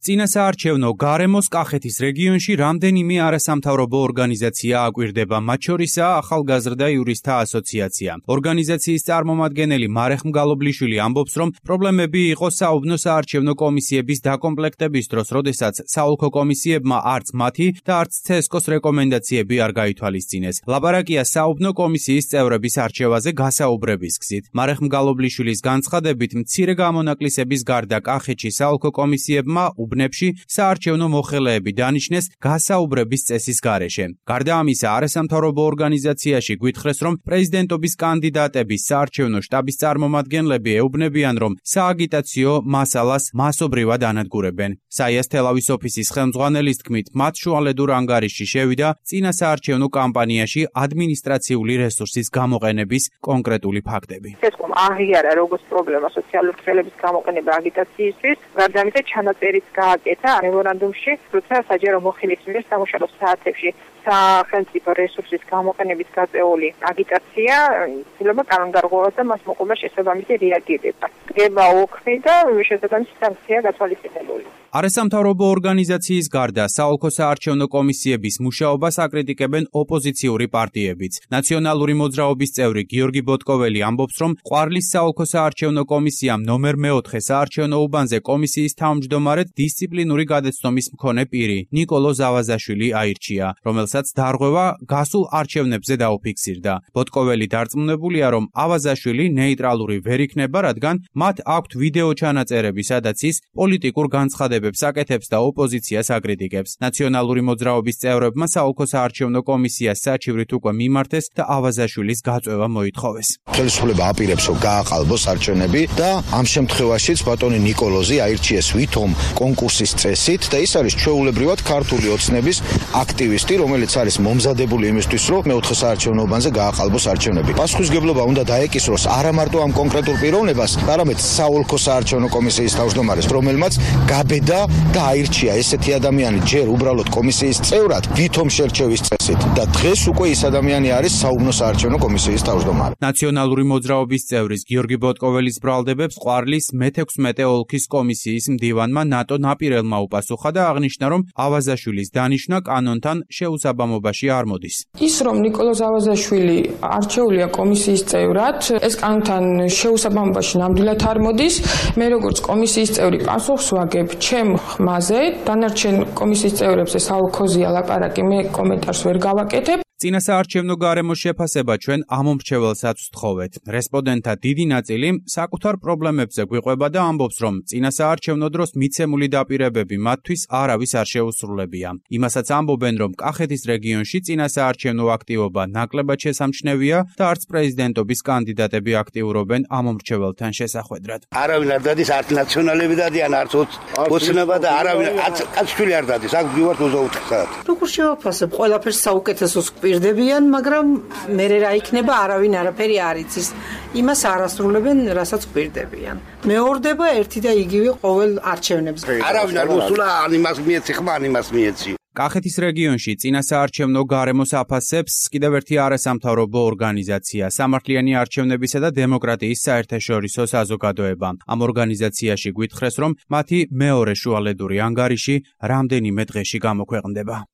წინა საარჩევნო გარემოს კახეთის რეგიონში რამდენიმე არასამთავრობო ორგანიზაცია აკვირდება, მათ შორისაა ახალგაზრდა იურისტთა ასოციაცია. ორგანიზაციის წარმომადგენელი მარეხ მგალობლიშვილი ამბობს, რომ პრობლემები იყო საუბნო საარჩევნო კომისიების დაკომპლექტების დროს, როდესაც საოლქო კომისიებმა არც მათი და არც CSKO-ს რეკომენდაციები არ გაითვალისწინეს. ლაპარაკია საუბნო კომისიის წევრების არჩევაზე გასაუბრების გზით. მარეხ მგალობლიშვილის განცხადებით, მცირე გამონაკლისების გარდა კახეთში საოლქო კომისიებმა უბნებში საარჩევნო მოხელეები დანიშნეს გასაუბრების წესის გარეშე. გარდა ამისა, არასამთავრობო ორგანიზაციაში გვითხრეს, რომ პრეზიდენტობის კანდიდატების საარჩევნო შტაბის წარმომადგენლები ეუბნებიან, რომ სააგიტაციო მასალას მასობრივად ანადგურებენ. საიას თელავის ოფისის ხელმძღვანელის თქმით, მათ შუალედურ ანგარიშში შევიდა წინა საარჩევნო კამპანიაში ადმინისტრაციული რესურსის გამოყენების კონკრეტული ფაქტები. CSKO-მ აღიარა როგორც პრობლემა სოციალური ქსელების გამოყენება აგიტაციისთვის, გარდა ამისა ჩანაწერიც გააკეთა მემორანდუმში, როცა საჯარო მოხელის მიერ სამუშაო საათებში სახელმწიფო რესურსის გამოყენებით გაწეული აგიტაცია იცლება კანონდარღვევას და მას მოყობა შესაბამისი რეაგირება. დგება ოქმი და შესაბამისი სანქცია გათვალისწინებული. არასამთავრობო ორგანიზაციის გარდა საოლქო საარჩევნო კომისიების მუშაობას აკრიტიკებენ ოპოზიციური პარტიებიც. ნაციონალური მოძრაობის წევრი გიორგი ბოტკოველი ამბობს, რომ ყვარლის საოლქო საარჩევნო კომისიამ ნომერ 4 საარჩევნო უბანზე კომისიის თავმჯდომარედ დისციპლინური გადაცნობის მქონე პირი ნიკოლო ზავაზაშვილი აირჩია, რომელსაც დარღვევა გასულ არჩევნებზე დაუფიქსირდა. ბოტკოველი დარწმუნებულია, რომ ავაზაშვილი ნეიტრალური ვერ იქნება, რადგან მათ აქვთ ვიდეო ჩანაწერები, სადაც ის პოლიტიკურ განცხადებებს აკეთებს და ოპოზიციას აკრიტიკებს. ნაციონალური მოძრაობის წევრებმა საოლქო საარჩევნო კომისიას საჩივრით უკვე მიმართეს და ავაზაშვილის გაწვევა მოითხოვეს. ხელისუფლება აპირებს, რომ გააყალბოს არჩევნები და ამ შემთხვევაშიც ბატონი ნიკოლოზი აირჩიეს ვითომ კონკურსის წესით და ის არის ჩვეულებრივად ქართული ოცნების აქტივისტი, რომელიც არის მომზადებული იმისთვის, რომ მეოთხე საარჩევნო უბანზე გააყალბოს არჩევნები. პასუხისმგებლობა უნდა დაეკისროს არა მარტო ამ კონკრეტულ პიროვნებას, არამედ საოლქო საარჩევნო კომისიის თავმჯდომარეს, რომელმაც გაბედა და აირჩია ესეთი ადამიანი ჯერ უბრალოდ კომისიის წევრად, ვითომ შერჩევის წესით და დღეს უკვე ის ადამიანი არის საუბნო საარჩევნო კომისიის თავმჯდომარე. ნაციონალური მოძრაობის წევრის გიორგი ბოტკოველის ბრალდებებს ყვარლის მე-16 ოლქის კომისიის მდივანმა ნატო ნაპირელმა უპასუხა და აღნიშნა, რომ ავაზაშვილის დანიშვნა კანონთან შეუსაბამობაში არ მოდის. ის რომ ნიკოლო ზავაზაშვილი არჩეულია კომისიის წევრად, ეს კანონთან შეუსაბამობაში ნამდვილად არ მოდის. მე როგორც კომისიის წევრი პასუხს ვაგებ ჩემ ხმაზე, დანარჩენ კომისიის წევრებზე საოლქოზია ლაპარაკი, მე კომენტარს ვერ გავაკეთებ. წინა საარჩევნო გარემოს შეფასება ჩვენ ამომრჩეველსაც ვთხოვეთ. რესპონდენტთა დიდი ნაწილი საკუთარ პრობლემებზე გვიყვება და ამბობს, რომ წინა საარჩევნო დროს მიცემული დაპირებები მათთვის არავის არ შეუსრულებია. იმასაც ამბობენ, რომ კახეთის რეგიონში წინა საარჩევნო აქტივობა ნაკლებად შესამჩნევია და არც პრეზიდენტობის კანდიდატები აქტიურობენ ამომრჩეველთან შესახვედრად. არავინ არ დადის, არც ნაციონალები დადიან, არც ოცნება და არავინ კაცშვილი არ დადის. აქ ვივართ 24 საათი. როგორ შევაფასებ, ყველაფერს საუკეთესოს გვირდებიან, მაგრამ მე რა იქნება, არავინ არაფერი არ იცის. იმას არ ასრულებენ, რასაც გვირდებიან. მეორდება ერთი და იგივე ყოველ არჩევნებზე. არავინ არ მოსულა, ან იმას მიეცი ხმა, ან იმას მიეცი. კახეთის რეგიონში წინა საარჩევნო გარემოს აფასებს კიდევ ერთი არასამთავრობო ორგანიზაცია, სამართლიანი არჩევნებისა და დემოკრატიის საერთაშორისო საზოგადოება. ამ ორგანიზაციაში გვითხრეს, რომ მათი მეორე შუალედური ანგარიში რამდენიმე დღეში გამოქვეყნდება.